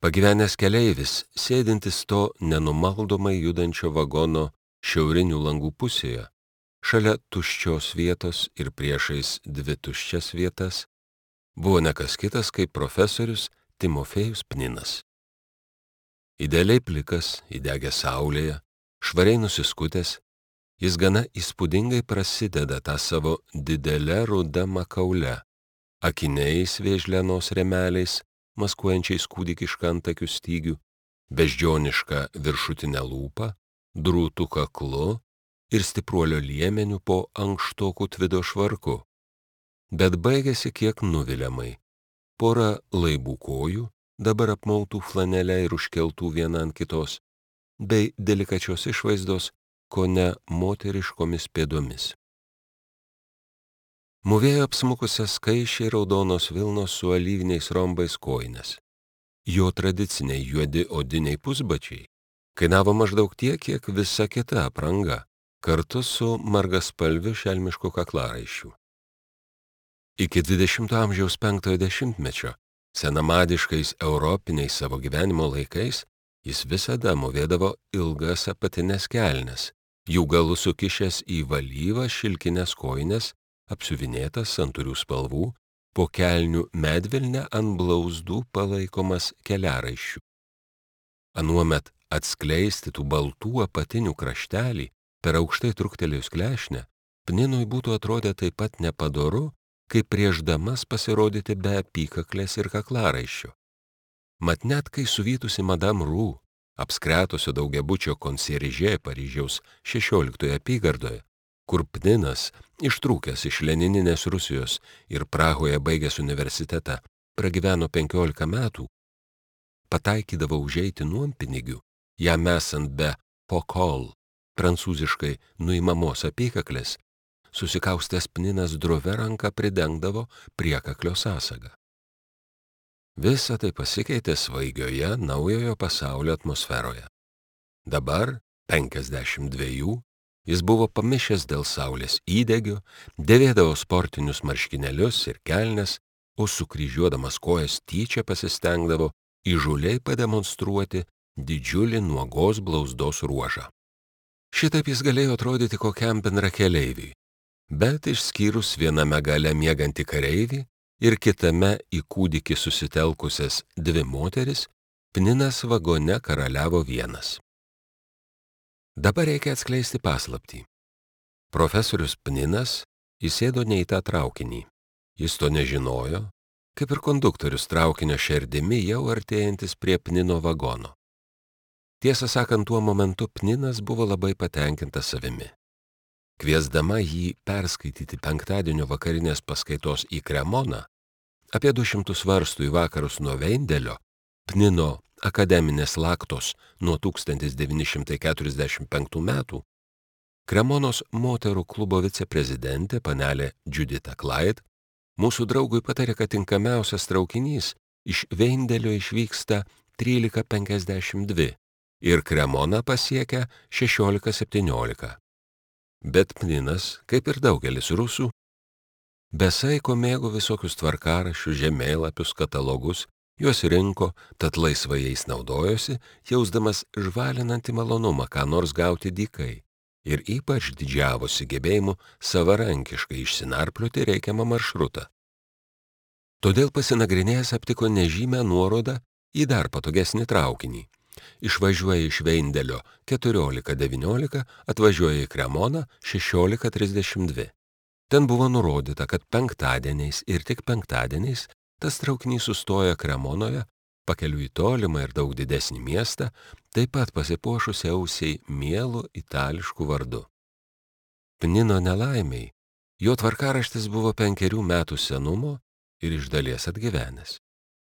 Pagyvenęs keleivis, sėdintis to nenumaldomai judančio vagono šiaurinių langų pusėje, šalia tuščios vietos ir priešais dvi tuščias vietas, buvo ne kas kitas kaip profesorius Timofėjus Pninas. Idealiai plikas, įdegęs saulėje, švariai nusiskutęs, jis gana įspūdingai prasideda tą savo didelę rudą makaulę, akiniais vėžlenos remeliais, maskuojančiais kūdikišką antakių stygių, beždžionišką viršutinę lūpą, drūtų kaklu ir stipruolio liemeniu po ankštokų tvido švarku. Bet baigėsi kiek nuviliamai. Pora laibų kojų, dabar apmautų flanelę ir užkeltų viena ant kitos, bei delikačios išvaizdos, kone moteriškomis pėdomis. Mūvėjo apsmukusias skaičiai raudonos vilnos su alyviniais rombais kojines. Jo tradiciniai juodi odiniai pusbačiai kainavo maždaug tiek, kiek visa kita apranga, kartu su margaspalviu šelmišku kaklaraiščiu. Iki 20 amžiaus 5-ojo dešimtmečio, senamadiškais europiniais savo gyvenimo laikais, jis visada mūvėdavo ilgas apatines kelnes, jų galus sukišęs į valyvą šilkines kojines, apsiuvinėtas santūrių spalvų, po kelnių medvilne ant blauzdų palaikomas keliaraiščių. Anuomet atskleisti tų baltų apatinių kraštelį per aukštai truktelėjus klešnę, Pninui būtų atrodę taip pat nepadoru, kaip prieš damas pasirodyti be apykaklės ir kaklaraiščio. Mat net kai suvytusi Madame Roux, apskretusio daugiabučio konsierže Paryžiaus 16 apygardoje, kur Pninas, ištrūkęs iš lenininės Rusijos ir Prahoje baigęs universitetą, pragyveno 15 metų, pataikydavo užeiti nuompinigių, jam esant be pokol, prancūziškai nuimamos apykaklės, susikaustęs Pninas drovia ranka pridengdavo priekaklio sąsagą. Visa tai pasikeitė svaigioje naujojo pasaulio atmosferoje. Dabar, 52, jis buvo pamišęs dėl saulės įdegio, dėvėdavo sportinius marškinėlius ir kelnes, o sukryžiuodamas kojas tyčia pasistengdavo įžūliai pademonstruoti didžiulį nuogos blauzdos ruožą. Šitaip jis galėjo atrodyti kokiam bendrakeleiviui, bet išskyrus viename gale miegantį kareivį ir kitame į kūdikį susitelkusias dvi moteris, Pninas vagone karaliavo vienas. Dabar reikia atskleisti paslaptį. Profesorius Pninas įsėdo ne į tą traukinį. Jis to nežinojo, kaip ir konduktorius traukinio šerdimi jau artėjantis prie Pnino vagono. Tiesą sakant, tuo momentu Pninas buvo labai patenkintas savimi. Kviesdama jį perskaityti penktadienio vakarinės paskaitos į Kremoną, apie 200 varstų į vakarus nuo Veindelio, Pnino akademinės laktos nuo 1945 metų, Kremonos moterų klubo viceprezidentė panelė Judita Clyde mūsų draugui patarė, kad tinkamiausias traukinys iš Veindelio išvyksta 13:52 ir Kremoną pasiekia 16:17. Bet Pninas, kaip ir daugelis rusų, be saiko mėgo visokius tvarkaraščius, žemėlapius, katalogus, juos rinko, tad laisvai jais naudojosi, jausdamas žvalinantį malonumą, ką nors gauti dykai, ir ypač didžiavosi gebėjimu savarankiškai išsinarplioti reikiamą maršrutą. Todėl pasinagrinėjęs aptiko nežymę nuorodą į dar patogesnį traukinį. Išvažiuoja iš Veindelio 14:19, atvažiuoja į Kremoną 16:32. Ten buvo nurodyta, kad penktadieniais ir tik penktadieniais tas traukinys sustoja Kremonoje, pakeliui į tolimą ir daug didesnį miestą, taip pat pasipuošusi ausiai mielu itališku vardu. Pnino nelaimiai, jo tvarkaraštis buvo 5 metų senumo ir iš dalies atgyvenęs.